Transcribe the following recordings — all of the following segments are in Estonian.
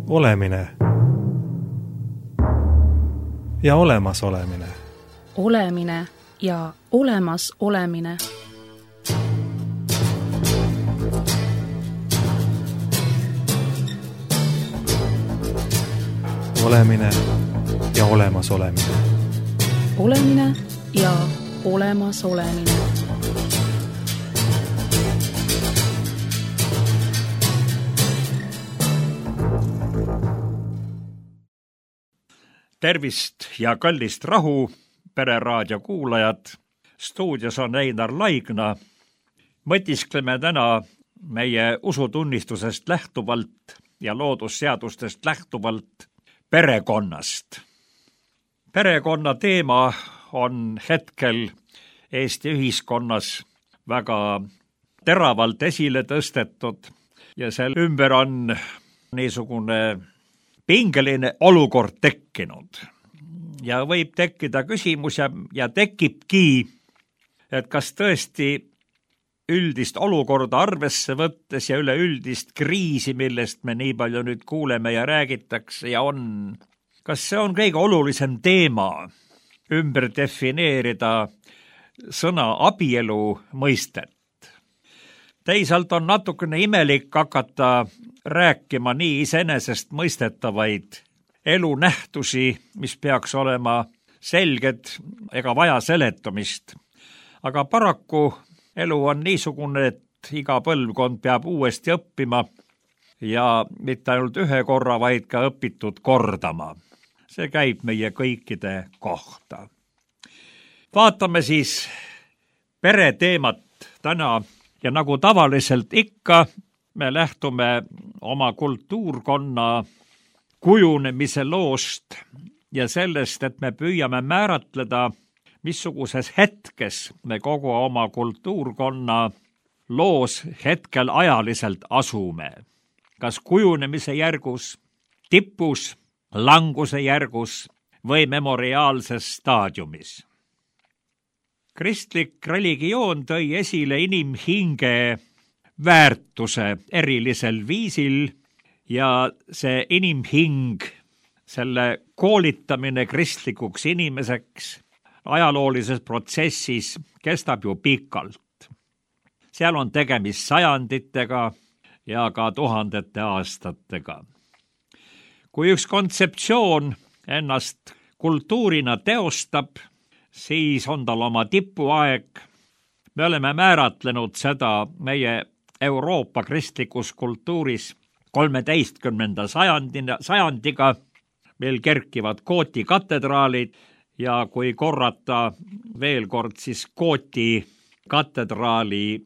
Olemine ja olemasolemine. Olemine ja olemasolemine. Olemine ja olemasolemine. Olemine ja olemasolemine. Tervist ja kallist rahu, Pereraadio kuulajad. Stuudios on Einar Laigna. Mõtiskleme täna meie usutunnistusest lähtuvalt ja loodusseadustest lähtuvalt perekonnast. Perekonna teema on hetkel Eesti ühiskonnas väga teravalt esile tõstetud ja selle ümber on niisugune pingeline olukord tekkinud. Ja võib tekkida küsimus ja tekibki, et kas tõesti üldist olukorda arvesse võttes ja üleüldist kriisi, millest me nii palju nüüd kuuleme ja räägitakse ja on, kas see on kõige olulisem teema ümber defineerida sõna abielu mõistet. Teisalt on natukene imelik hakata rääkima nii iseenesest mõistetavaid elunähtusi, mis peaks olema selged ega vaja seletamist. Aga paraku elu on niisugune, et iga põlvkond peab uuesti õppima ja mitte ainult ühe korra, vaid ka õpitud kordama. See käib meie kõikide kohta. Vaatame siis pereteemat täna ja nagu tavaliselt ikka, me lähtume oma kultuurkonna kujunemise loost ja sellest, et me püüame määratleda, missuguses hetkes me kogu oma kultuurkonna loos hetkel ajaliselt asume. Kas kujunemise järgus, tipus, languse järgus või memoriaalses staadiumis. Kristlik religioon tõi esile inimhinge väärtuse erilisel viisil ja see inimhing, selle koolitamine kristlikuks inimeseks ajaloolises protsessis kestab ju pikalt. Seal on tegemist sajanditega ja ka tuhandete aastatega. Kui üks kontseptsioon ennast kultuurina teostab, siis on tal oma tipuaeg. Me oleme määratlenud seda meie Euroopa kristlikus kultuuris 13. sajandiga, meil kerkivad Gooti katedraalid ja kui korrata veel kord siis Gooti katedraali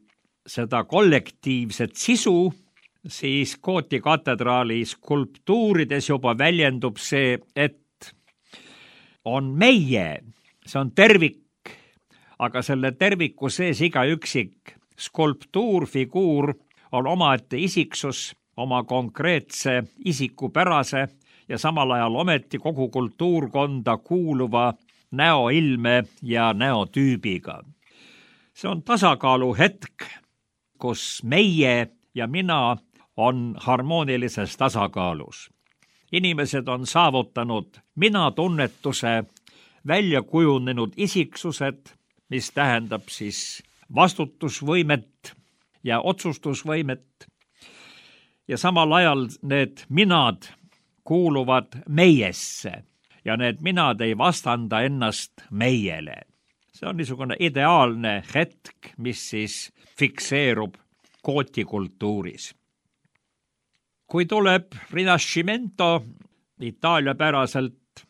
seda kollektiivset sisu, siis Gooti katedraali skulptuurides juba väljendub see, et on meie, see on tervik, aga selle terviku sees iga üksik skulptuur, figuur on omaette isiksus, oma konkreetse isikupärase ja samal ajal ometi kogu kultuurkonda kuuluva näoilme ja näotüübiga. See on tasakaalu hetk, kus meie ja mina on harmoonilises tasakaalus. Inimesed on saavutanud mina-tunnetuse välja kujunenud isiksused, mis tähendab siis vastutusvõimet ja otsustusvõimet. Ja samal ajal need minad kuuluvad meiesse ja need minad ei vastanda ennast meiele. See on niisugune ideaalne hetk, mis siis fikseerub Gooti kultuuris. Kui tuleb Rinascimento Itaalia päraselt,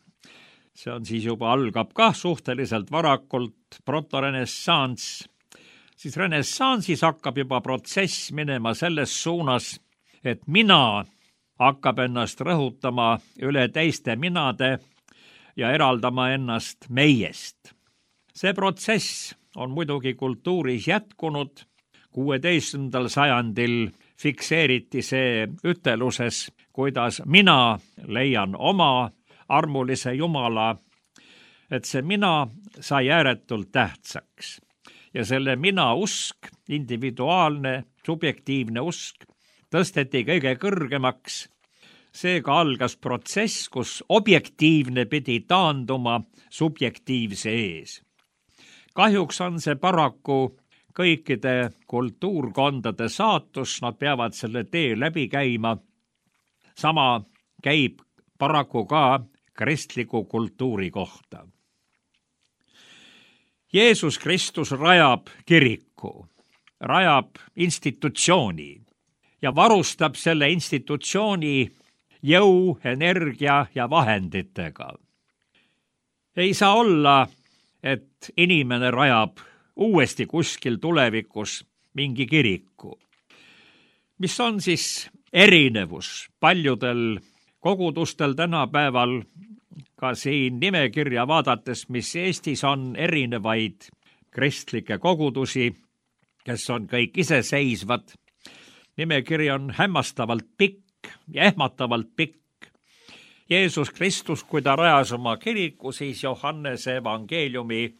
see on siis juba algab ka suhteliselt varakult protorenessanss, siis renessansis hakkab juba protsess minema selles suunas, et mina hakkab ennast rõhutama üle teiste minade ja eraldama ennast meiest. See protsess on muidugi kultuuris jätkunud. 16. sajandil fikseeriti see üteluses, kuidas mina leian oma armulise Jumala, et see mina sai ääretult tähtsaks. Ja selle mina usk, individuaalne, subjektiivne usk, tõsteti kõige kõrgemaks Seega algas protsess, kus objektiivne pidi taanduma subjektiivse ees. Kahjuks on see paraku kõikide kultuurkondade saatus, nad peavad selle tee läbi käima. Sama käib paraku ka kristliku kultuuri kohta. Jeesus Kristus rajab kiriku, rajab institutsiooni ja varustab selle institutsiooni jõu, energia ja vahenditega. Ei saa olla, et inimene rajab uuesti kuskil tulevikus mingi kiriku. Mis on siis erinevus paljudel kogudustel tänapäeval, ka siin nimekirja vaadates, mis Eestis on erinevaid kristlikke kogudusi, kes on kõik iseseisvad. Nimekiri on hämmastavalt pikk ja ehmatavalt pikk. Jeesus Kristus, kui ta rajas oma kiriku, siis Johannese evangeeliumi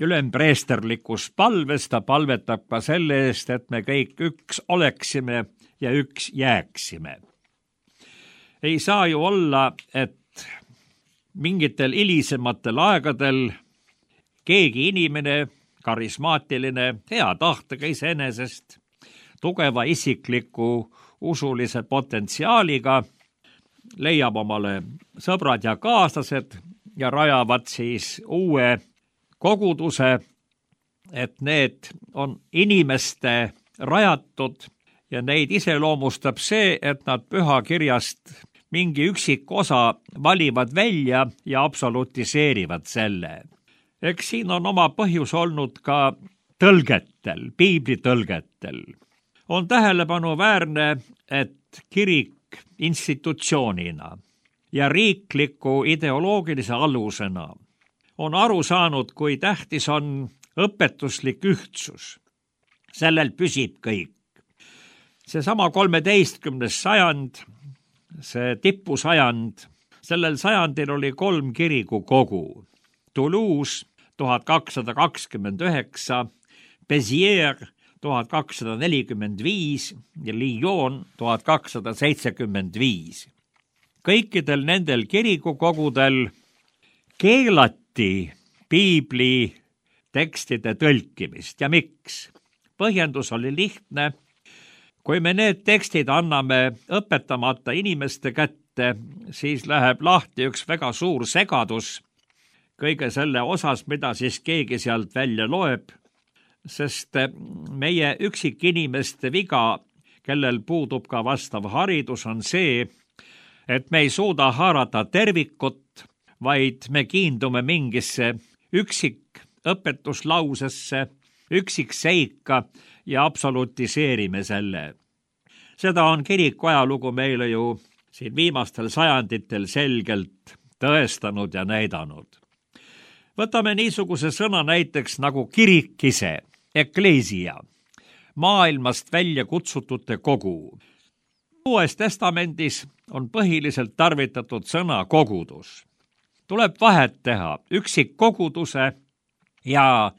ülempreesterlikus palves ta palvetab ka selle eest, et me kõik üks oleksime ja üks jääksime. Ei saa ju olla, et mingitel hilisematel aegadel keegi inimene, karismaatiline, hea tahtega iseenesest, tugeva isikliku usulise potentsiaaliga, leiab omale sõbrad ja kaaslased ja rajavad siis uue koguduse, et need on inimeste rajatud ja neid iseloomustab see, et nad pühakirjast mingi üksik osa valivad välja ja absolutiseerivad selle. Eks siin on oma põhjus olnud ka tõlgetel, piibli tõlgetel. On tähelepanuväärne, et kirik institutsioonina ja riikliku ideoloogilise alusena on aru saanud, kui tähtis on õpetuslik ühtsus. Sellel püsib kõik. Seesama 13. sajand, see tipusajand, sellel sajandil oli 3 kirikukogu. Toulouse 1229, Béziers 1245 ja Lyon 1275. Kõikidel nendel kirikukogudel keelati piibli tekstide tõlkimist. Ja miks? Põhjendus oli lihtne. Kui me need tekstid anname õpetamata inimeste kätte, siis läheb lahti üks väga suur segadus kõige selle osas, mida siis keegi sealt välja loeb, sest meie üksikinimeste viga, kellel puudub ka vastav haridus, on see, et me ei suuda haarata tervikut, vaid me kiindume mingisse üksikõpetuslausesse, üksikseika ja absolutiseerime selle. Seda on kiriku ajalugu meile ju siin viimastel sajanditel selgelt tõestanud ja näidanud. Võtame niisuguse sõna näiteks nagu kirik ise, ekleesia, maailmast välja kutsutute kogu. Uues testamendis on põhiliselt tarvitatud sõna kogudus. Tuleb vahet teha üksikkoguduse ja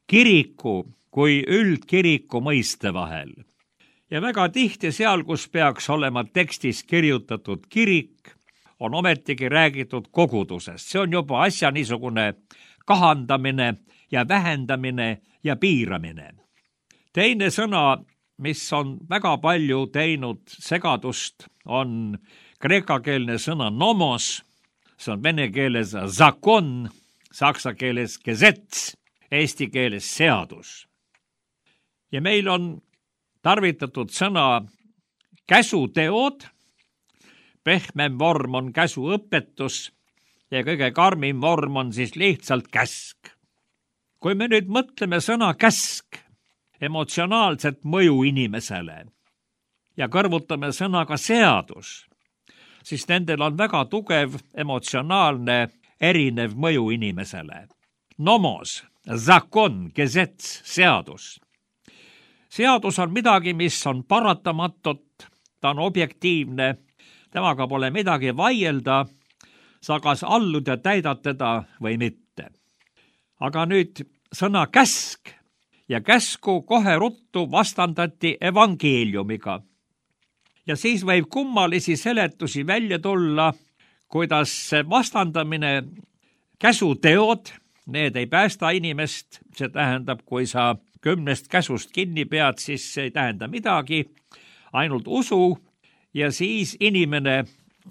kiriku kui üldkiriku mõiste vahel. Ja väga tihti seal, kus peaks olema tekstis kirjutatud kirik, on ometigi räägitud kogudusest. See on juba asja niisugune kahandamine ja vähendamine ja piiramine. Teine sõna, mis on väga palju teinud segadust, on kreekakeelne sõna nomos, see on vene keeles zakon, saksa keeles gezets, eesti keeles seadus. Ja meil on tarvitatud sõna käsuteod, pehmem vorm on käsuõpetus ja kõige karmim vorm on siis lihtsalt käsk. Kui me nüüd mõtleme sõna käsk, emotsionaalset mõju inimesele ja kõrvutame sõnaga seadus, siis nendel on väga tugev emotsionaalne erinev mõju inimesele. Nomos, zakon, gezets, seadus. Seadus on midagi, mis on paratamatut, ta on objektiivne, temaga pole midagi vaielda, sa kas allud ja täidad teda või mitte. Aga nüüd sõna käsk ja käsku kohe ruttu vastandati evangeeliumiga. Ja siis võib kummalisi seletusi välja tulla, kuidas vastandamine käsuteod, need ei päästa inimest, see tähendab, kui sa 10 käsust kinni pead, siis see ei tähenda midagi, ainult usu ja siis inimene,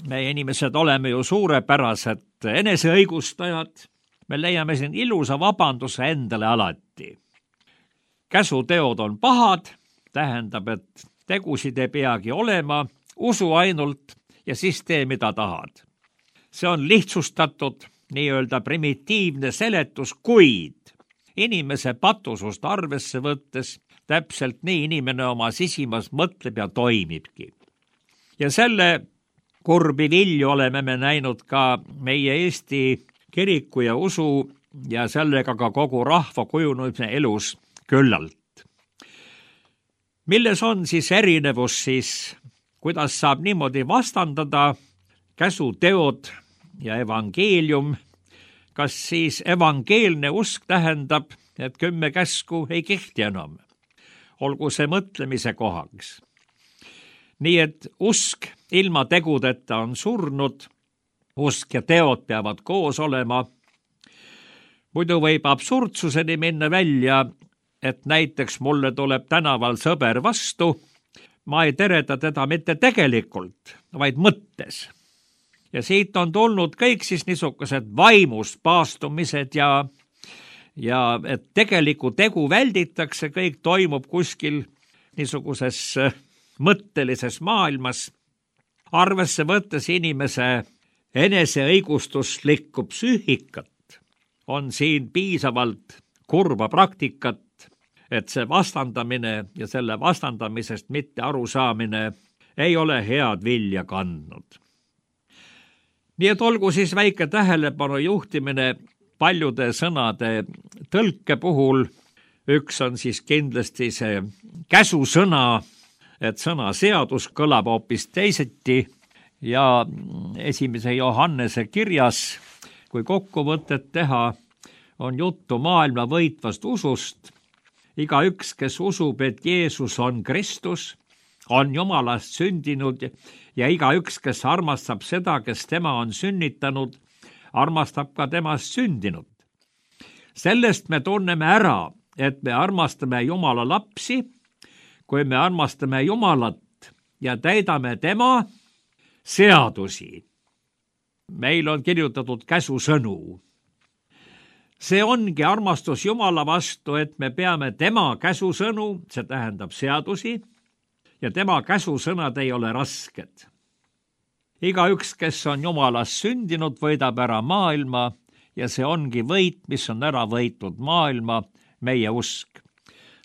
meie inimesed oleme ju suurepärased eneseõigustajad, me leiame siin ilusa vabanduse endale alati. Käsuteod on pahad, tähendab, et tegusid ei peagi olema, usu ainult ja siis tee, mida tahad. See on lihtsustatud, nii-öelda primitiivne seletus, kuid inimese patusust arvesse võttes täpselt nii inimene oma sisimas mõtleb ja toimibki. Ja selle kurbi vilju oleme me näinud ka meie Eesti kiriku ja usu ja sellega ka kogu rahva kujunemise elus küllalt. Milles on siis erinevus siis, kuidas saab niimoodi vastandada käsuteod ja evangeelium? Kas siis evangeelne usk tähendab, et 10 käsku ei kehti enam? Olgu see mõtlemise kohaks. Nii et usk ilma tegudeta on surnud, usk ja teod peavad koos olema. Muidu võib absurdsuseni minna välja, et näiteks mulle tuleb tänaval sõber vastu, ma ei tereta teda mitte tegelikult, vaid mõttes. Ja siit on tulnud kõik siis niisugused vaimust paastumised ja et tegeliku tegu välditakse, kõik toimub kuskil niisuguses mõttelises maailmas, arvesse võttes inimese eneseõigustuslikku psüühikat, on siin piisavalt kurba praktikat, et see vastandamine ja selle vastandamisest mitte arusaamine ei ole head vilja kandnud. Nii et olgu siis väike tähelepanu juhtimine paljude sõnade tõlke puhul. Üks on siis kindlasti see käsusõna, et sõna seadus kõlab hoopis teiseti ja 1. Johannese kirjas, kui kokkuvõtet teha, on juttu maailma võitvast usust. Igaüks, kes usub, et Jeesus on Kristus, on Jumalast sündinud ja igaüks, kes armastab seda, kes tema on sünnitanud, armastab ka temast sündinud. Sellest me tunneme ära, et me armastame Jumala lapsi, kui me armastame Jumalat ja täidame tema seadusi. Meil on kirjutatud käsusõnu. See ongi armastus Jumala vastu, et me peame tema käsusõnu, see tähendab seadusi, ja tema käsusõnad ei ole rasked. Igaüks, kes on Jumalast sündinud, võidab ära maailma ja see ongi võit, mis on ära võitnud maailma, meie usk.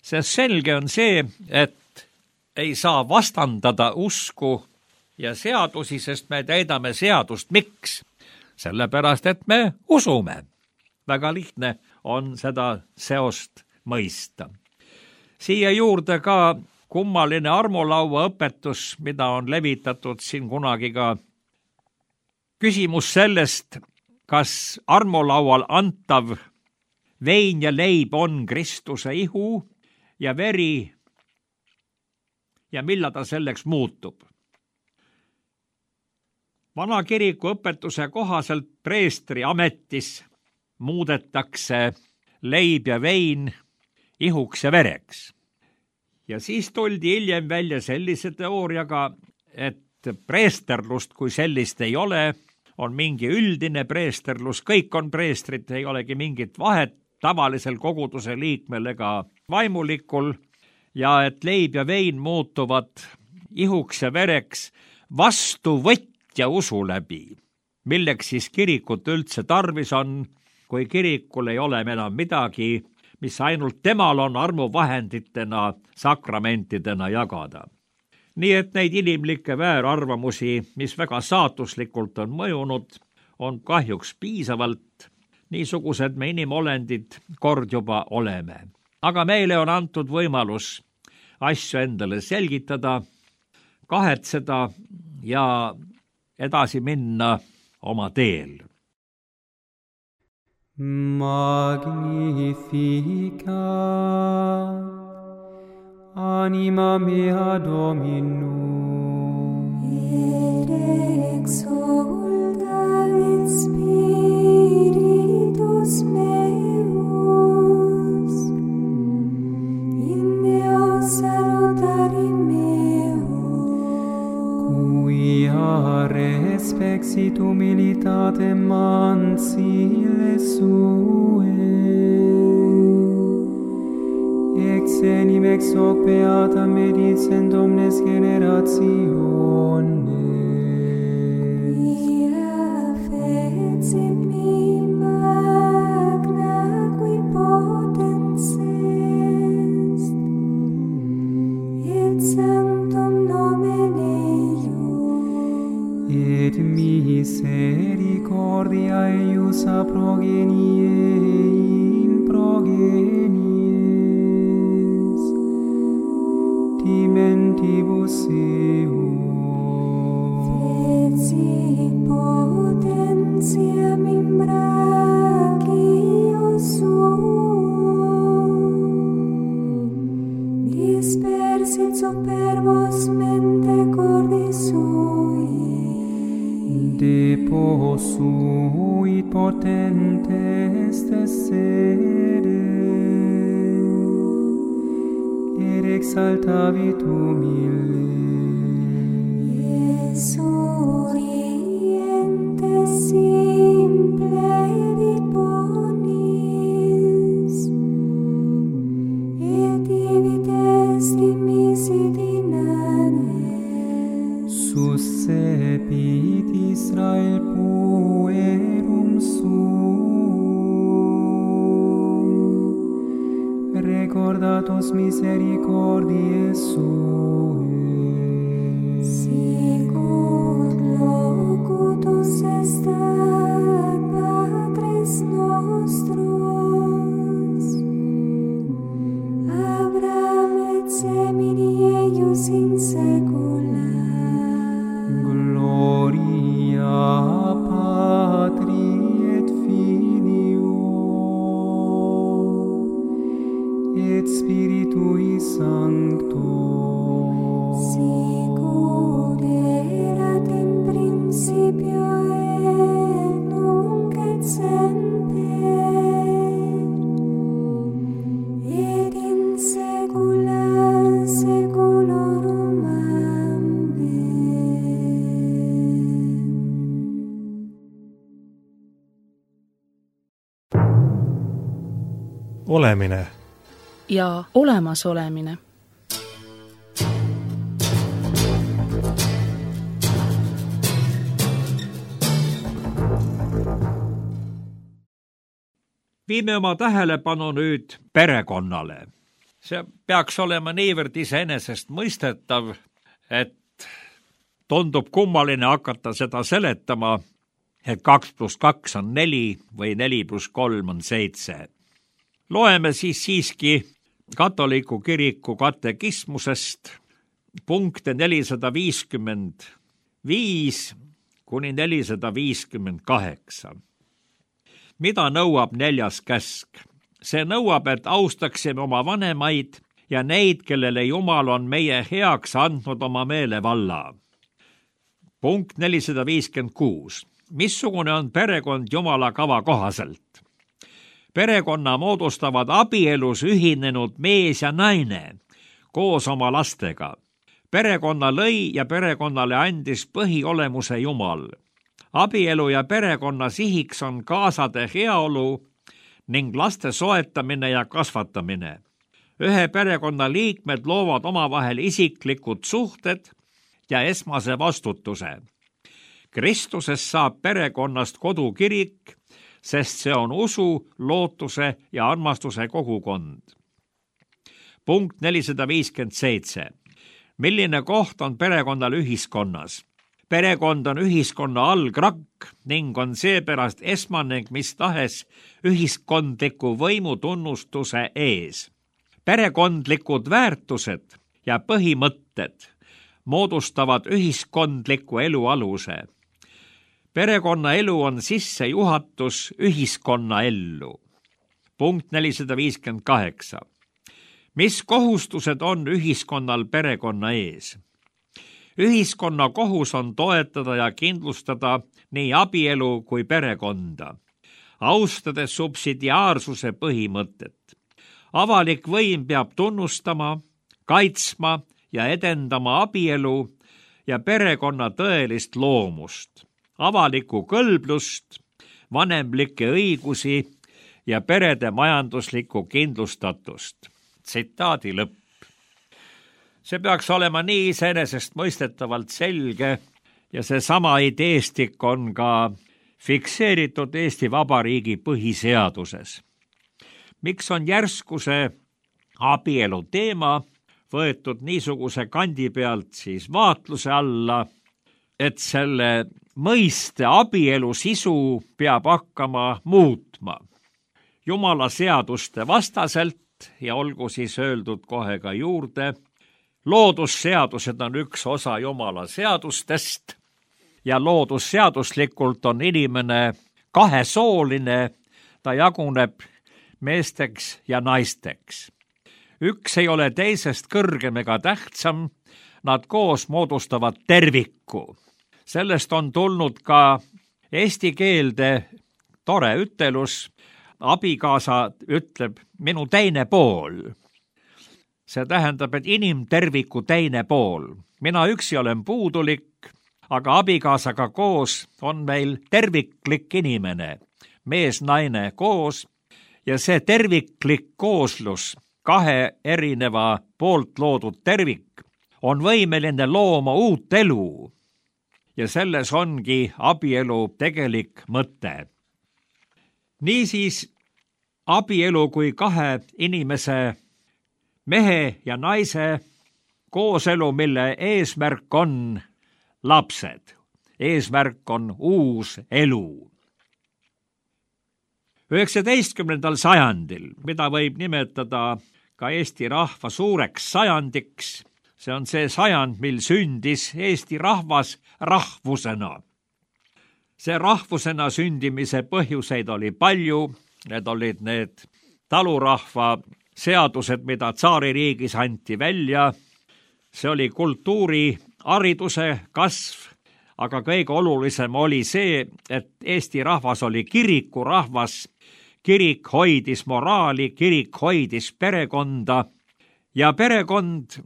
Sest selge on see, et ei saa vastandada usku ja seadusi, sest me täidame seadust. Miks? Sellepärast, et me usume. Väga lihtne on seda seost mõista. Siia juurde ka kummaline armulaua õpetus, mida on levitatud siin kunagi ka. Küsimus sellest, kas armulaual antav vein ja leib on Kristuse ihu ja veri ja millal ta selleks muutub. Vana kiriku õpetuse kohaselt preestri ametis muudetakse leib ja vein ihuks ja vereks. Ja siis tuldi hiljem välja sellise teooriaga, et preesterlust kui sellist ei ole, on mingi üldine preesterlus, kõik on preestrid, ei olegi mingit vahet tavalisel koguduse liikmel ega vaimulikul, ja et leib ja vein muutuvad ihuks ja vereks vastuvõtja usu läbi, milleks siis kirikut üldse tarvis on, kui kirikul ei ole enam midagi, mis ainult temal on armuvahenditena, sakramentidena jagada. Nii et neid inimlikke väärarvamusi, mis väga saatuslikult on mõjunud, on kahjuks piisavalt. Niisugused me inimolendid kord juba oleme. Aga meile on antud võimalus asju endale selgitada, kahetseda ja edasi minna oma teel. Magnificat anima mea Dominum respexit humilitatem mansile sue, exenim ex hoc beata medicent omnes generationes. Via fecit mi magna qui potens est, et sanctum nomen eius, Et misericordia eius a progenie in progenies, dimentibus eum. fecit potentiam in brachio suum, dispersit superbos mente cordis sui, Deposuit potentes tessere, et exaltavit humile. Surientes simple vit bonis, et divit est dimisit inanes. Suscepit Israel puerum suum, recordatos misericordiae suae. Sicut locutus estat Patres nostros, Abraham et semini eius in saecula. Gloria Patri et Filio et Spiritui Sancto, Sicut erat in principio et nunc et semper, et in saecula saeculorum. Olemine ja olemasolemine. Viime oma tähelepanu nüüd perekonnale. See peaks olema niivõrd iseenesestmõistetav, et tundub kummaline hakata seda seletama, et 2 + 2 on 4 või 4 + 3 on 7. Loeme siiski katoliku kiriku katekismusest punkte 455 kuni 458. Mida nõuab 4. käsk? See nõuab, et austaksime oma vanemaid ja neid, kellele Jumal on meie heaks andnud oma meelevalla. Punkt 456. Missugune on perekond Jumala kava kohaselt? Perekonna moodustavad abielus ühinenud mees ja naine koos oma lastega. Perekonna lõi ja perekonnale andis põhiolemuse Jumal. Abielu ja perekonna sihiks on kaasade heaolu ning laste soetamine ja kasvatamine. Ühe perekonna liikmed loovad omavahel isiklikud suhted ja esmase vastutuse. Kristuses saab perekonnast kodukirik, sest see on usu, lootuse ja armastuse kogukond. Punkt 457. Milline koht on perekonnal ühiskonnas? Perekond on ühiskonna algrakk ning on seepärast esmane mis tahes ühiskondliku võimu tunnustuse ees. Perekondlikud väärtused ja põhimõtted moodustavad ühiskondliku elu aluse. Perekonnaelu on sissejuhatus ühiskonnaellu. Punkt 458. Mis kohustused on ühiskonnal perekonna ees? Ühiskonna kohus on toetada ja kindlustada nii abielu kui perekonda, austades subsidiaarsuse põhimõtet. Avalik võim peab tunnustama, kaitsma ja edendama abielu ja perekonna tõelist loomust, avalikku kõlblust, vanemlikke õigusi ja perede majanduslikku kindlustatust. Tsitaadi lõpp. See peaks olema nii iseenesestmõistetavalt selge ja seesama ideestik on ka fikseeritud Eesti Vabariigi põhiseaduses. Miks on järsku see abielu teema võetud niisuguse kandi pealt siis vaatluse alla, et selle mõiste abielu sisu peab hakkama muutma Jumala seaduste vastaselt ja olgu siis öeldud kohe ka juurde, loodusseadused on üks osa Jumala seadustest ja loodusseaduslikult on inimene kahesooline, ta jaguneb meesteks ja naisteks. Üks ei ole teisest kõrgem ega tähtsam, nad koos moodustavad terviku. Sellest on tulnud ka eesti keelde tore ütelus, abikaasa ütleb minu teine pool. See tähendab, et inimterviku teine pool. Mina üksi olen puudulik, aga abikaasaga koos on meil terviklik inimene, mees-naine koos ja see terviklik kooslus, kahe erineva poolt loodud tervik, on võimeline looma uut elu ja selles ongi abielu tegelik mõte. Niisiis, abielu kui kahe inimese, mehe ja naise kooselu, mille eesmärk on lapsed. Eesmärk on uus elu. 19. sajandil, mida võib nimetada ka Eesti rahva suureks sajandiks, see on see sajand, mil sündis Eesti rahvas rahvusena. See rahvusena sündimise põhjuseid oli palju, need olid need talurahva seadused, mida tsaaririigis anti välja, see oli kultuuri, hariduse kasv, aga kõige olulisem oli see, et Eesti rahvas oli kirikurahvas, kirik hoidis moraali, kirik hoidis perekonda ja perekond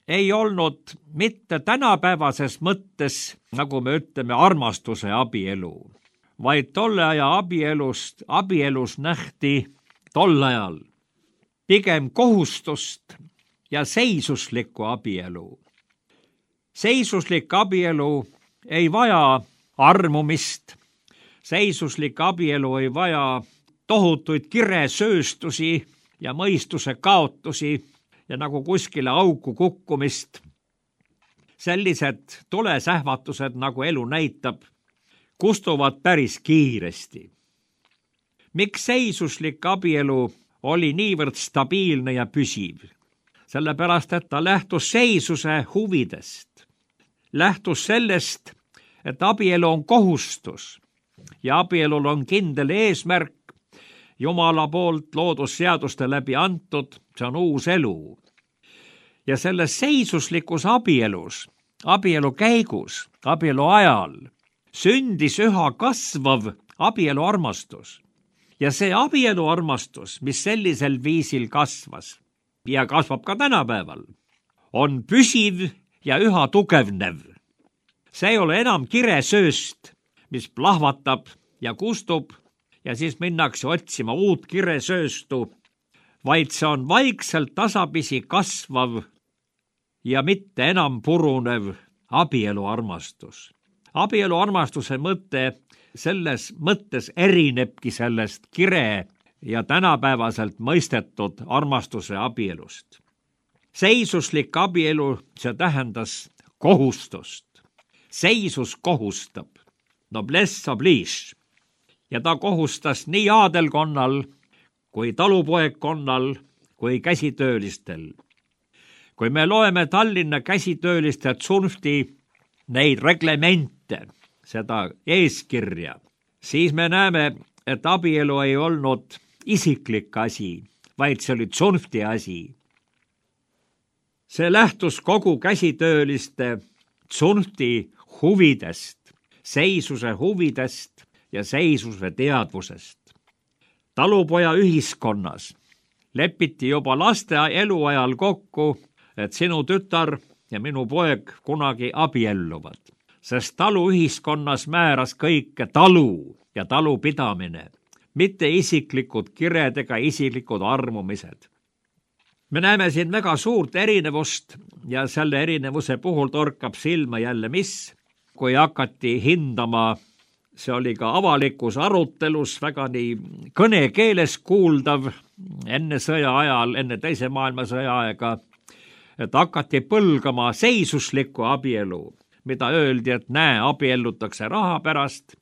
ei olnud mitte tänapäevases mõttes, nagu me ütleme, armastuse abielu, vaid tolle aja abielus nähti tol ajal pigem kohustust ja seisuslikku abielu. Seisuslik abielu ei vaja armumist, seisuslik abielu ei vaja tohutuid kiresööstusi ja mõistuse kaotusi ja nagu kuskile auku kukkumist. Sellised tulesähvatused, nagu elu näitab, kustuvad päris kiiresti. Miks seisuslik abielu oli niivõrd stabiilne ja püsiv? Sellepärast, et ta lähtus seisuse huvidest. Lähtus sellest, et abielu on kohustus ja abielul on kindel eesmärk, Jumala poolt loodusseaduste läbi antud, see on uus elu. Ja selles seisuslikus abielus, abielu käigus, abielu ajal, sündis üha kasvav abieluarmastus. Ja see abieluarmastus, mis sellisel viisil kasvas ja kasvab ka tänapäeval, on püsiv ja üha tugevnev. See ei ole enam kiresööst, mis plahvatab ja kustub, ja siis minnakse otsima uut kiresööstu, vaid see on vaikselt tasapisi kasvav ja mitte enam purunev abieluarmastus. Abieluarmastuse mõte selles mõttes erinebki sellest kire ja tänapäevaselt mõistetud armastuse abielust. Seisuslik abielu, see tähendas kohustust. Seisus kohustab, noblesse oblige. Ja ta kohustas nii aadelkonnal kui talupoegkonnal kui käsitöölistel. Kui me loeme Tallinna käsitööliste tsunfti neid reglemente, seda eeskirja, siis me näeme, et abielu ei olnud isiklik asi, vaid see oli tsunfti asi. See lähtus kogu käsitööliste tsunfti huvidest, seisuse huvidest ja seisuse teadvusest. Talupoja ühiskonnas lepiti juba laste eluajal kokku, et sinu tütar ja minu poeg kunagi abielluvad, sest taluühiskonnas määras kõike talu ja talupidamine, mitte isiklikud kired ega isiklikud armumised. Me näeme siin väga suurt erinevust ja selle erinevuse puhul torkab silma jälle mis, kui hakati hindama, see oli ka avalikus arutelus väga nii kõnekeeles kuuldav enne sõja ajal, enne teise maailmasõja aega, et hakati põlgama seisuslikku abielu, mida öeldi, et näe, abiellutakse raha pärast,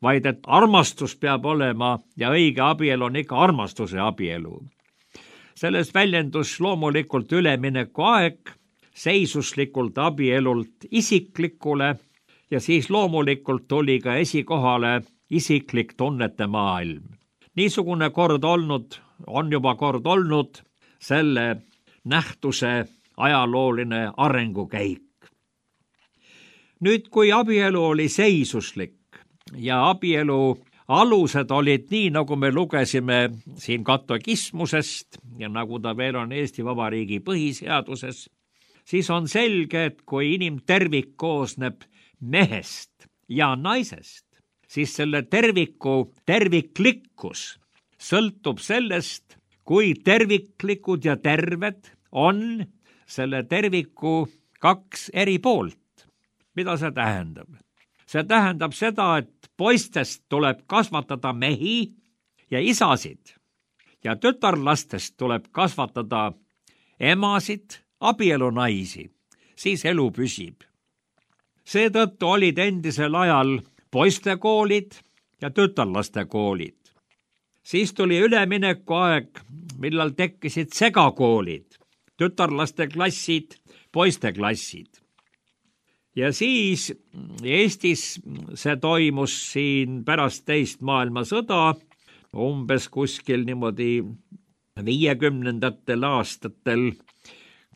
vaid et armastus peab olema ja õige abielu on ikka armastuse abielu. Selles väljendus loomulikult ülemineku aeg seisuslikult abielult isiklikule ja siis loomulikult tuli ka esikohale isiklik tunnete maailm. Niisugune kord on juba kord olnud selle nähtuse ajalooline arengukäik. Nüüd, kui abielu oli seisuslik ja abielu alused olid nii, nagu me lugesime siin katekismusest ja nagu ta veel on Eesti Vabariigi põhiseaduses, siis on selge, et kui inimtervik koosneb mehest ja naisest, siis selle terviku terviklikkus sõltub sellest, kui terviklikud ja terved on selle terviku kaks eri poolt. Mida see tähendab? See tähendab seda, et poistest tuleb kasvatada mehi ja isasid ja tütarlastest tuleb kasvatada emasid, abielunaisi, siis elu püsib. Seetõttu olid endisel ajal poistekoolid ja tütarlaste koolid. Siis tuli ülemineku aeg, millal tekkisid segakoolid, tütarlaste klassid, poiste klassid. Ja siis Eestis see toimus siin pärast teist maailmasõda, umbes kuskil niimoodi 50. aastatel,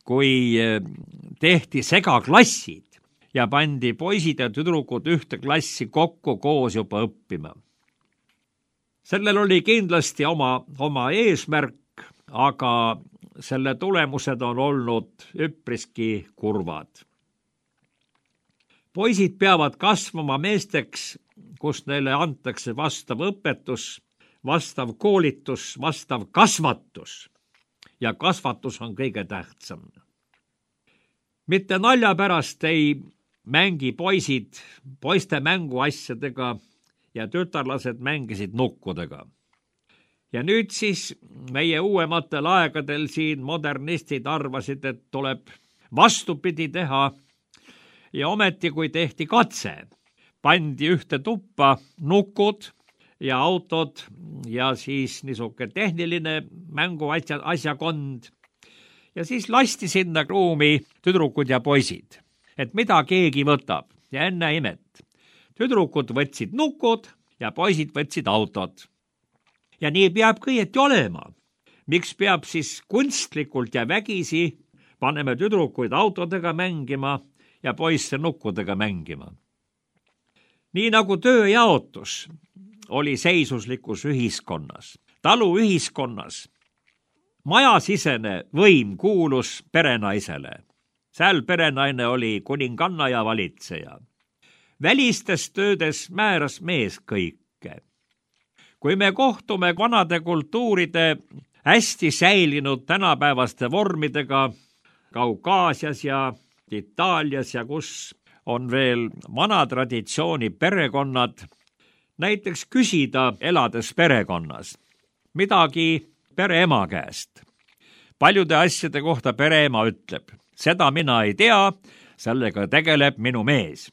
kui tehti segaklassid ja pandi poisid ja tüdrukud ühte klassi kokku koos juba õppima. Sellel oli kindlasti oma eesmärk, aga selle tulemused on olnud üpriski kurvad. Poisid peavad kasvama meesteks, kus neile antakse vastav õpetus, vastav koolitus, vastav kasvatus. Ja kasvatus on kõige tähtsam. Mitte nalja pärast ei mängi poisid poiste mänguasjadega ja tütarlased mängisid nukkudega. Ja nüüd siis meie uuematel aegadel siin modernistid arvasid, et tuleb vastupidi teha. Ja ometi, kui tehti katse, pandi ühte tuppa nukud ja autod ja siis niisuke tehniline mänguasjakond ja siis lasti sinna ruumi tüdrukud ja poisid, et mida keegi võtab ja enne imet. Tüdrukud võtsid nukud ja poisid võtsid autod. Ja nii peab kõieti olema. Miks peab siis kunstlikult ja vägisi paneme tüdrukuid autodega mängima ja poisse nukkudega mängima. Nii nagu tööjaotus oli seisuslikus ühiskonnas, taluühiskonnas, majasisene võim kuulus perenaisele. Seal perenaine oli kuninganna ja valitseja. Välistes töödes määras mees kõike. Kui me kohtume vanade kultuuride hästi säilinud tänapäevaste vormidega Kaukaasias ja Itaalias ja kus on veel vana traditsiooni perekonnad, näiteks küsida elades perekonnas midagi pereema käest. Paljude asjade kohta pereema ütleb, seda mina ei tea, sellega tegeleb minu mees.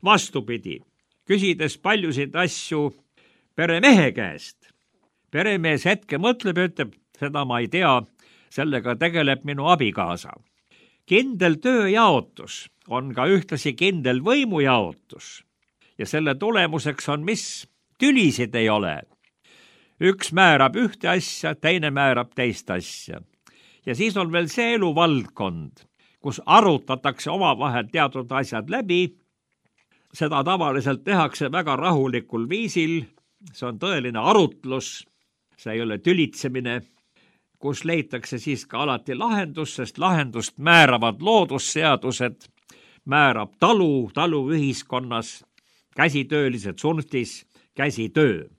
Vastupidi, küsides paljusid asju peremehe käest, peremees hetke mõtleb ja ütleb, seda ma ei tea, sellega tegeleb minu abikaasa. Kindel tööjaotus on ka ühtlasi kindel võimujaotus ja selle tulemuseks on mis? Tülisid ei ole. Üks määrab ühte asja, teine määrab teist asja. Ja siis on veel see eluvaldkond, kus arutatakse omavahel teatud asjad läbi. Seda tavaliselt tehakse väga rahulikul viisil, see on tõeline arutlus, see ei ole tülitsemine. kus leitakse siis ka alati lahendus, sest lahendust määravad loodusseadused, määrab taluühiskonnas, käsitöölised tsunftis, käsitöö.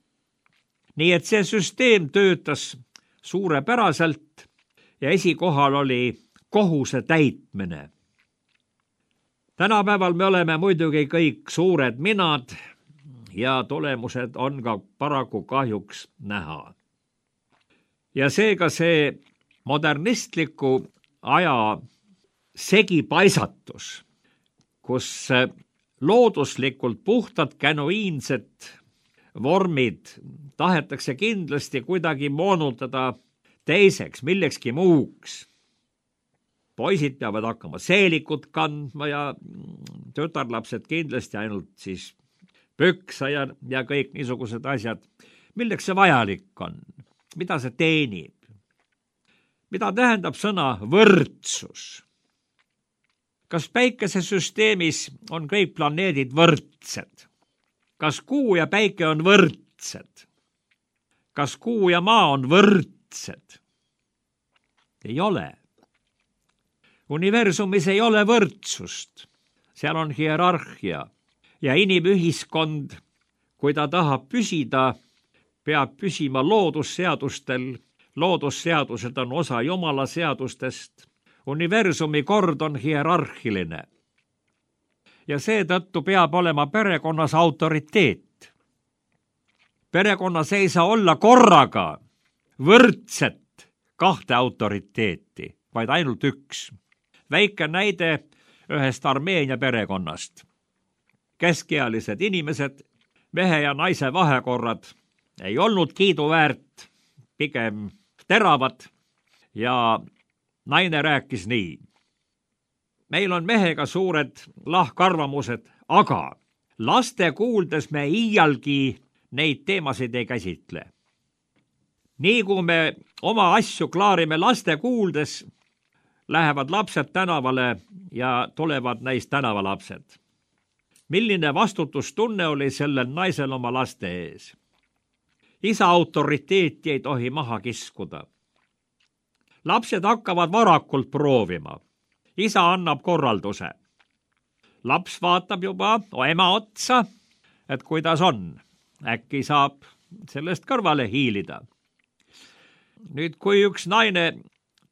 Nii et see süsteem töötas suurepäraselt ja esikohal oli kohuse täitmine. Tänapäeval me oleme muidugi kõik suured minad ja tulemused on ka paraku kahjuks näha. Ja seega see modernistliku aja segipaisatus, kus looduslikult puhtad genuiinsed vormid tahetakse kindlasti kuidagi moonutada teiseks, millekski muuks. Poisid peavad hakkama seelikut kandma ja tütarlapsed kindlasti ainult siis püksa ja kõik niisugused asjad. Milleks see vajalik on? Mida see teenib? Mida tähendab sõna võrdsus? Kas päikesesüsteemis on kõik planeedid võrdsed? Kas kuu ja päike on võrdsed? Kas kuu ja maa on võrdsed? Ei ole. Universumis ei ole võrdsust. Seal on hierarhia ja inimühiskond, kui ta tahab püsida, peab püsima loodusseadustel. Loodusseadused on osa Jumala seadustest. Universumi kord on hierarhiline. Ja seetõttu peab olema perekonnas autoriteet. Perekonnas ei saa olla korraga võrdset kahte autoriteeti, vaid ainult üks. Väike näide ühest Armeenia perekonnast. Keskealised inimesed, mehe ja naise vahekorrad ei olnud kiiduväärt, pigem teravad ja naine rääkis nii. Meil on mehega suured lahkarvamused, aga laste kuuldes me iialgi neid teemasid ei käsitle. Nii kui me oma asju klaarime laste kuuldes, lähevad lapsed tänavale ja tulevad neist tänavalapsed. Milline vastutustunne oli sellel naisel oma laste ees? Isa autoriteeti ei tohi maha kiskuda. Lapsed hakkavad varakult proovima. Isa annab korralduse. Laps vaatab juba ema otsa, et kuidas on. Äkki saab sellest kõrvale hiilida. Nüüd, kui üks naine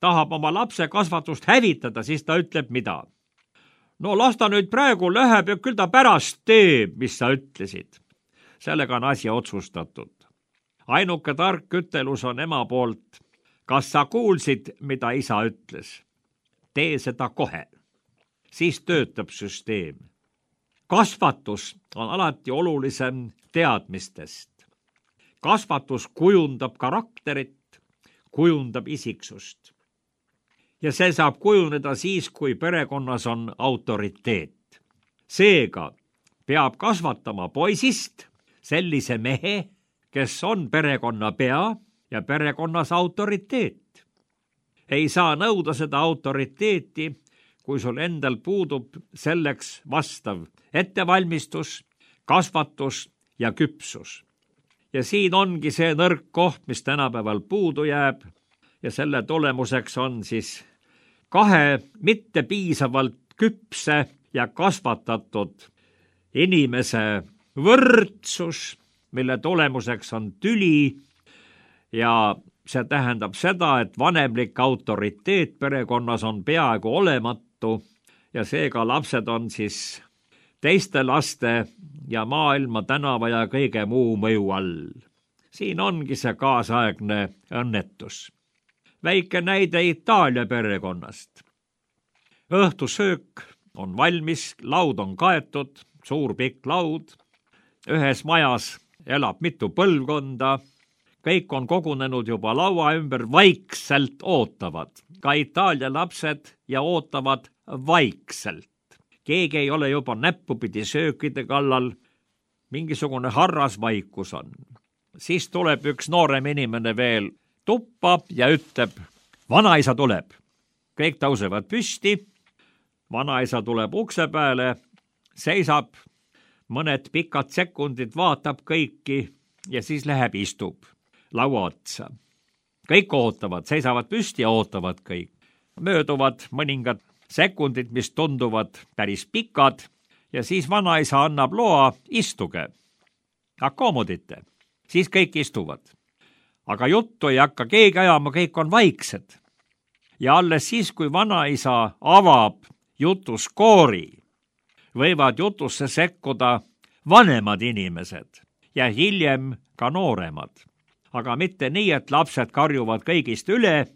tahab oma lapse kasvatust hävitada, siis ta ütleb mida? No las ta nüüd praegu läheb ja küll ta pärast teeb, mis sa ütlesid. Sellega on asi otsustatud. Ainuke tark ütelus on ema poolt. Kas sa kuulsid, mida isa ütles? Tee seda kohe. Siis töötab süsteem. Kasvatus on alati olulisem teadmistest. Kasvatus kujundab karakterit, kujundab isiksust. Ja see saab kujuneda siis, kui perekonnas on autoriteet. Seega peab kasvatama poisist sellise mehe, kes on perekonna pea ja perekonnas autoriteet. Ei saa nõuda seda autoriteeti, kui sul endal puudub selleks vastav ettevalmistus, kasvatus ja küpsus. Ja siin ongi see nõrk koht, mis tänapäeval puudu jääb ja selle tulemuseks on siis kahe mitte piisavalt küpse ja kasvatatud inimese võrdsus, mille tulemuseks on tüli ja see tähendab seda, et vanemlik autoriteet perekonnas on peaaegu olematu ja seega lapsed on siis teiste laste ja maailma tänava ja kõige muu mõju all. Siin ongi see kaasaegne õnnetus. Väike näide Itaalia perekonnast. Õhtusöök on valmis, laud on kaetud, suur pikk laud. Ühes majas elab mitu põlvkonda. Kõik on kogunenud juba laua ümber, vaikselt ootavad. Ka Itaalia lapsed ja ootavad vaikselt. Keegi ei ole juba näppupidi söökide kallal. Mingisugune harrasvaikus on. Siis tuleb üks noorem inimene veel tuppa ja ütleb, vanaisa tuleb. Kõik tõusevad püsti. Vanaisa tuleb ukse peale, seisab, mõned pikad sekundid vaatab kõiki ja siis läheb istub laua otsa. kõik ootavad, seisavad püsti ja ootavad kõik. Mööduvad mõningad sekundid, mis tunduvad päris pikad ja siis vanaisa annab loa, istuge, akkoomodite, siis kõik istuvad. Aga juttu ei hakka keegi ajama, kõik on vaiksed. Ja alles siis, kui vanaisa avab jutuskoori, võivad jutusse sekkuda vanemad inimesed ja hiljem ka nooremad. Aga mitte nii, et lapsed karjuvad kõigist üle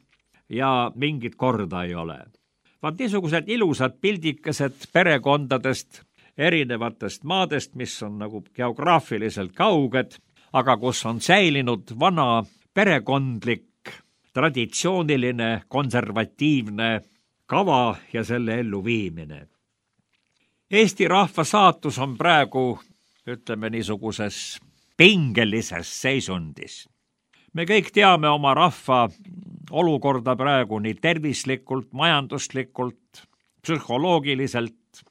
ja mingit korda ei ole. Vaat niisugused ilusad pildikesed perekondadest, erinevatest maadest, mis on nagu geograafiliselt kauged, aga kus on säilinud vana perekondlik, traditsiooniline, konservatiivne kava ja selle elluviimine. Eesti rahva saatus on praegu, ütleme, niisuguses pingelises seisundis. Me kõik teame oma rahva olukorda praegu nii tervislikult, majanduslikult, psühholoogiliselt.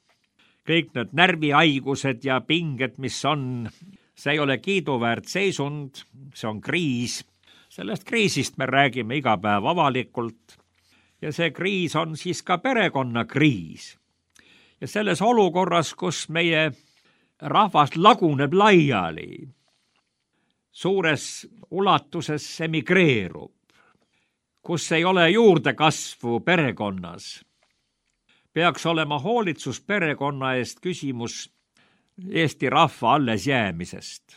Kõik need närvihaigused ja pinged, mis on, see ei ole kiiduväärt seisund, see on kriis. Sellest kriisist me räägime iga päev avalikult ja see kriis on siis ka perekonnakriis. Ja selles olukorras, kus meie rahvas laguneb laiali, suures ulatuses emigreerub, kus ei ole juurdekasvu perekonnas, peaks olema hoolitsus perekonna eest küsimus Eesti rahva alles jäämisest.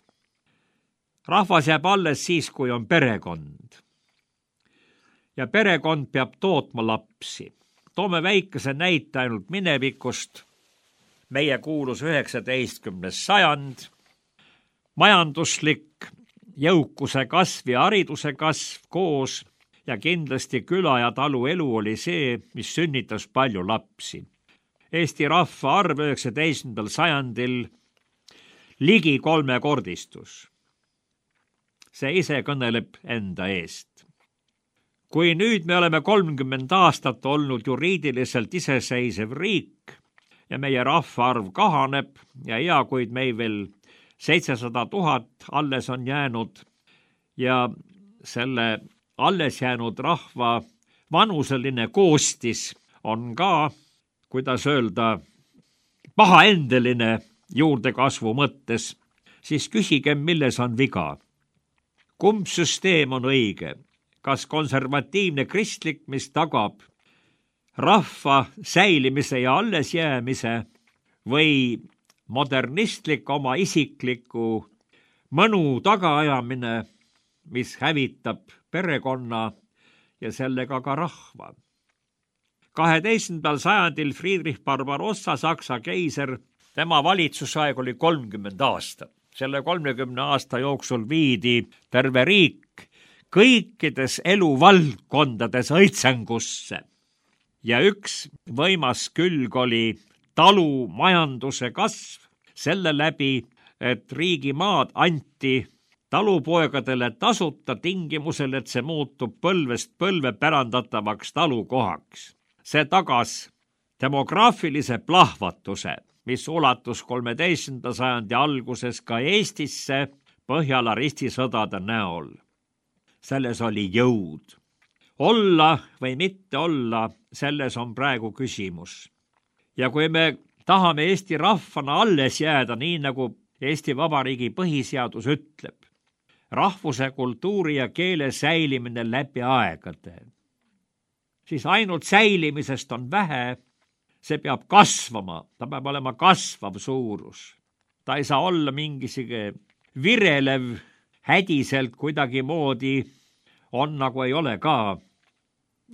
Rahvas jääb alles siis, kui on perekond. Ja perekond peab tootma lapsi. Toome väikese näite ainult minevikust. Meie kuulus 19. sajand. Majanduslik jõukuse kasv ja hariduse kasv koos ja kindlasti küla ja talu elu oli see, mis sünnitas palju lapsi. Eesti rahva arv 19. sajandil ligi 3-kordistus. See ise kõneleb enda eest. Kui nüüd me oleme 30 aastat olnud juriidiliselt iseseisev riik ja meie rahvaarv kahaneb ja kuid meil veel 700 000 alles on jäänud ja selle alles jäänud rahva vanuseline koostis on ka, kuidas öelda, pahaendeline juurdekasvu mõttes, siis küsigem, milles on viga. Kumb süsteem on õige? Kas konservatiivne kristlik, mis tagab rahva säilimise ja allesjäämise või modernistlik oma isikliku mõnu tagaajamine, mis hävitab perekonna ja sellega ka rahva. 12. sajandil Friedrich Barbarossa, Saksa keiser, tema valitsusaeg oli 30 aastat. Selle 30 aasta jooksul viidi terve riik kõikides eluvaldkondades õitsengusse. Ja üks võimas külg oli talumajanduse kasv selle läbi, et riigimaad anti talupoegadele tasuta tingimusel, et see muutub põlvest põlve pärandatavaks talukohaks. See tagas demograafilise plahvatuse, mis ulatus 13. sajandi alguses ka Eestisse Põhjala ristisõdade näol. Selles oli jõud. Olla või mitte olla, selles on praegu küsimus. Ja kui me tahame Eesti rahvana alles jääda, nii nagu Eesti Vabariigi põhiseadus ütleb, rahvuse, kultuuri ja keele säilimine läbi aegade, siis ainult säilimisest on vähe, see peab kasvama, ta peab olema kasvav suurus. Ta ei saa olla mingisugune virelev, hädiselt kuidagi moodi on nagu ei ole ka.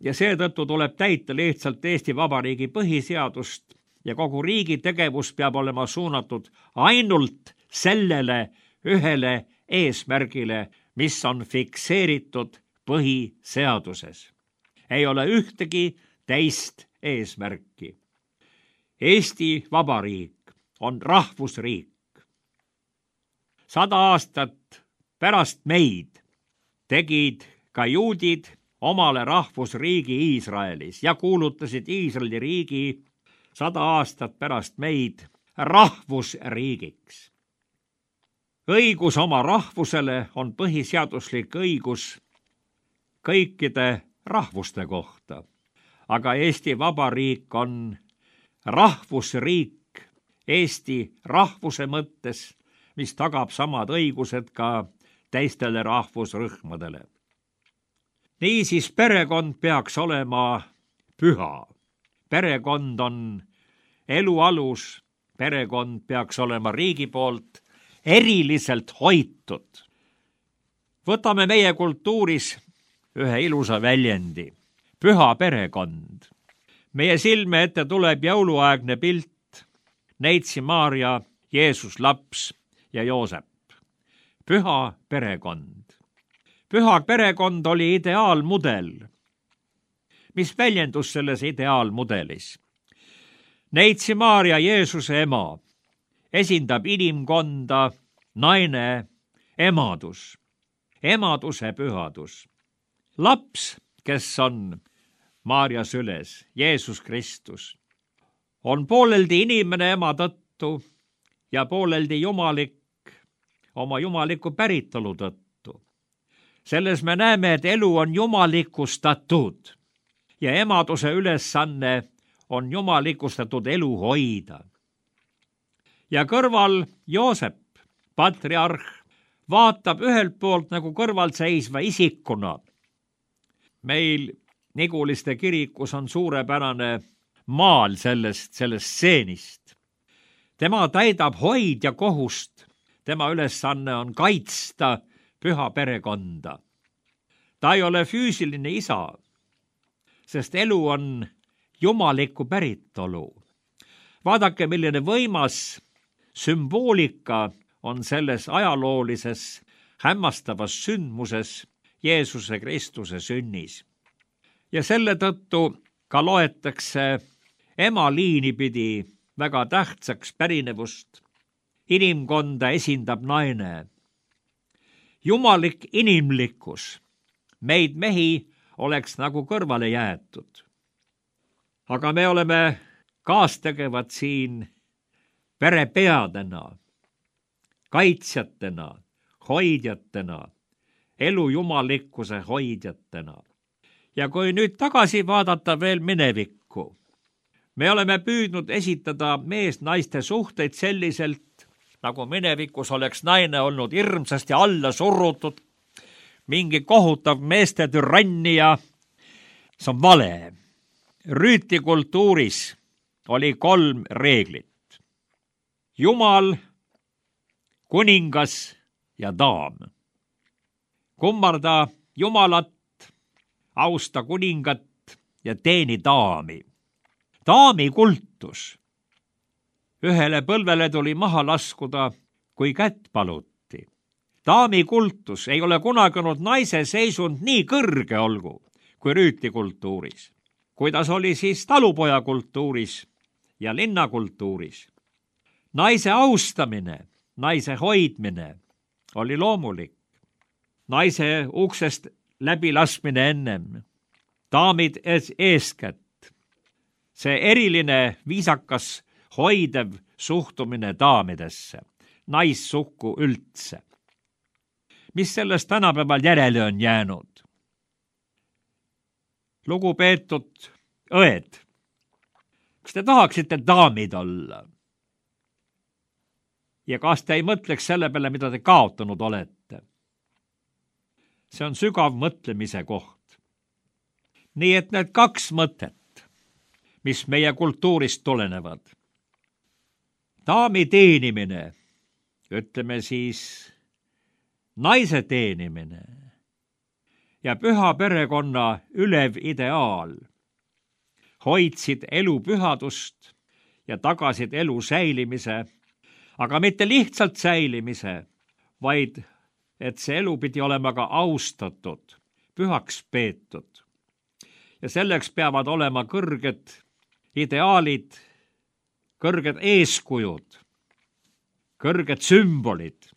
Ja seetõttu tuleb täita lihtsalt Eesti Vabariigi põhiseadust ja kogu riigi tegevus peab olema suunatud ainult sellele ühele eesmärgile, mis on fikseeritud põhiseaduses. Ei ole ühtegi teist eesmärki. Eesti Vabariik on rahvusriik. 100 aastat pärast meid tegid ka juudid omale rahvusriigi Iisraelis ja kuulutasid Iisraeli riigi 100 aastat pärast meid rahvusriigiks. Õigus oma rahvusele on põhiseaduslik õigus kõikide rahvuste kohta. Aga Eesti Vabariik on rahvusriik Eesti rahvuse mõttes, mis tagab samad õigused ka teistele rahvusrühmadele. Niisiis perekond peaks olema püha. Perekond on elu alus, perekond peaks olema riigi poolt eriliselt hoitud. Võtame meie kultuuris ühe ilusa väljendi, püha perekond. Meie silme ette tuleb jõuluaegne pilt, Neitsi Maarja, Jeesus laps ja Joosep. Püha perekond. Püha perekond oli ideaalmudel. Mis väljendus selles ideaalmudelis? Neitsi Maarja, Jeesuse ema, esindab inimkonda, naine, emadus, emaduse pühadus. Laps, kes on Maarja süles, Jeesus Kristus, on pooleldi inimene ema tõttu ja pooleldi jumalik oma jumaliku päritolu tõttu. Selles me näeme, et elu on jumalikustatud ja emaduse ülesanne on jumalikustatud elu hoida. Ja kõrval Joosep, patriarh, vaatab ühelt poolt nagu kõrval seisva isikuna. Meil Niguliste kirikus on suurepärane maal sellest stseenist. Tema täidab hoidja kohust, tema ülesanne on kaitsta püha perekonda. Ta ei ole füüsiline isa, sest elu on jumaliku päritolu. Vaadake, milline võimas sümboolika on selles ajaloolises hämmastavas sündmuses Jeesuse Kristuse sünnis. Ja selle tõttu ka loetakse ema liini pidi väga tähtsaks pärinevust. Inimkonda esindab naine. Jumalik inimlikkus meid mehi oleks nagu kõrvale jäetud. Aga me oleme kaastegevad siin perepeadena, kaitsjatena, hoidjatena, elu jumalikkuse hoidjatena. Ja kui nüüd tagasi vaadata veel minevikku, me oleme püüdnud esitada mees-naiste suhteid selliselt, nagu minevikus oleks naine olnud hirmsasti alla surutud, mingi kohutav meeste türannia. See on vale. Rüütlikultuuris oli 3 reeglit. Jumal, kuningas ja daam. Kummarda Jumalat, austa kuningat ja teeni daami. Daami kultus. Ühele põlvele tuli maha laskuda, kui kätt paluti. Daami kultus ei ole kunagi olnud naise seisund nii kõrge olgu kui rüütlikultuuris. Kuidas oli siis talupoja kultuuris ja linnakultuuris? Naise austamine, naise hoidmine oli loomulik. Naise uksest läbilaskmine ennem, daamid eeskätt. See eriline viisakas hoidev suhtumine daamidesse, naissukku üldse. Mis sellest tänapäeval järele on jäänud? Lugupeetud õed, kas te tahaksite daamid olla? Ja kas te ei mõtleks selle peale, mida te kaotanud olete? See on sügav mõtlemise koht. Nii et need 2 mõtet, mis meie kultuurist tulenevad. Daami teenimine, ütleme siis naise teenimine ja püha perekonna ülev ideaal hoidsid elu pühadust ja tagasid elu säilimise, aga mitte lihtsalt säilimise, vaid et see elu pidi olema ka austatud, pühaks peetud. Ja selleks peavad olema kõrged ideaalid, kõrged eeskujud, kõrged sümbolid,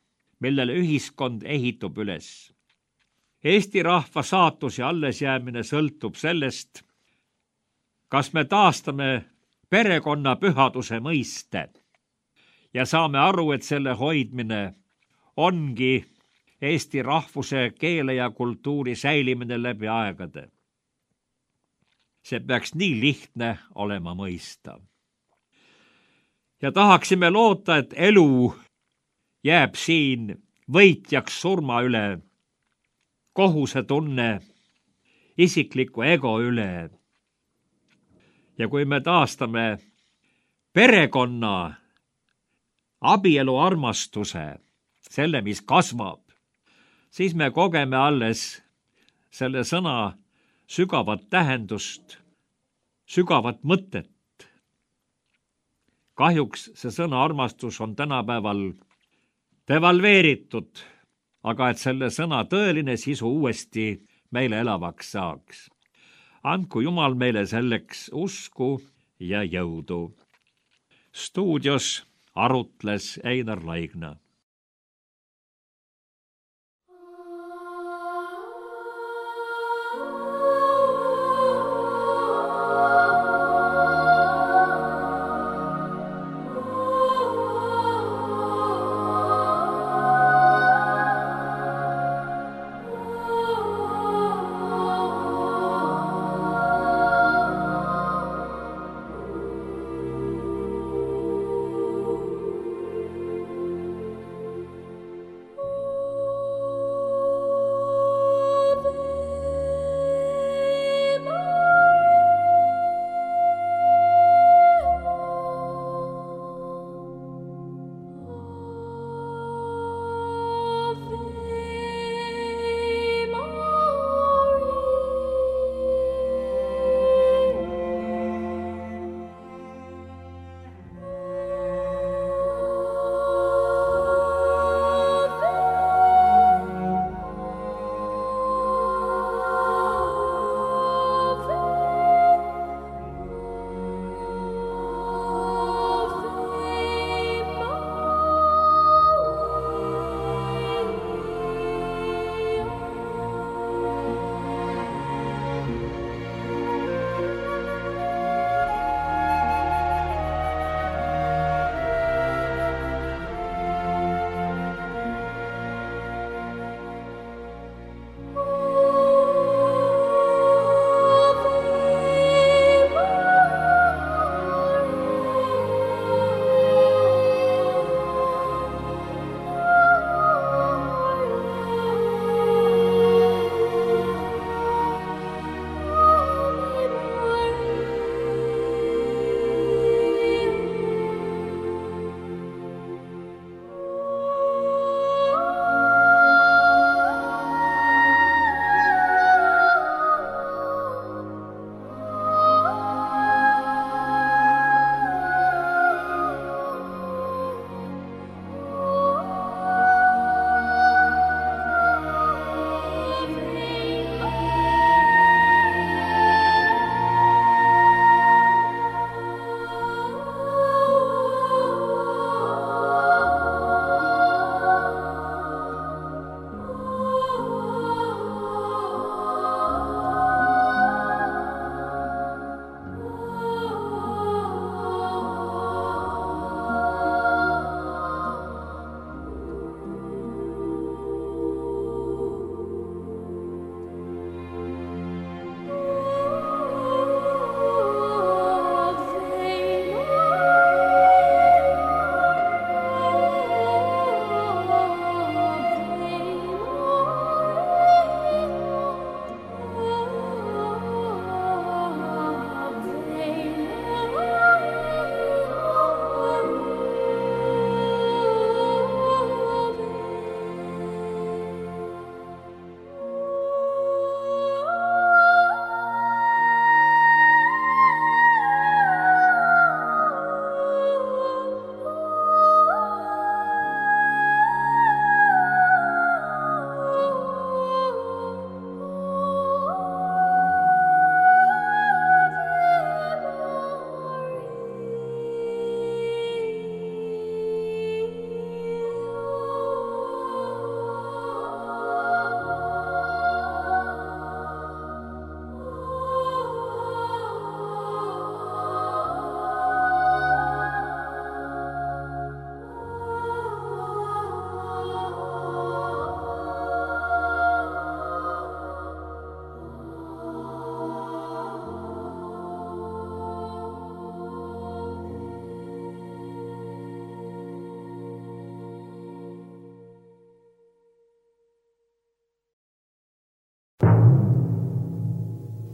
millele ühiskond ehitub üles. Eesti rahva saatus ja allesjäämine sõltub sellest, kas me taastame perekonna pühaduse mõiste ja saame aru, et selle hoidmine ongi Eesti rahvuse, keele ja kultuuri säilimine läbi aegade. See peaks nii lihtne olema mõista. Ja tahaksime loota, et elu jääb siin võitjaks surma üle, kohusetunne isikliku ego üle. Ja kui me taastame perekonna, abielu armastuse, selle, mis kasvab, siis me kogeme alles selle sõna sügavat tähendust, sügavat mõtet. Kahjuks see sõna armastus on tänapäeval devalveeritud, aga et selle sõna tõeline sisu uuesti meile elavaks saaks. Andku Jumal meile selleks usku ja jõudu. Stuudios arutles Einar Laigna.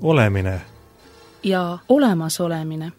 olemine ja olemasolemine.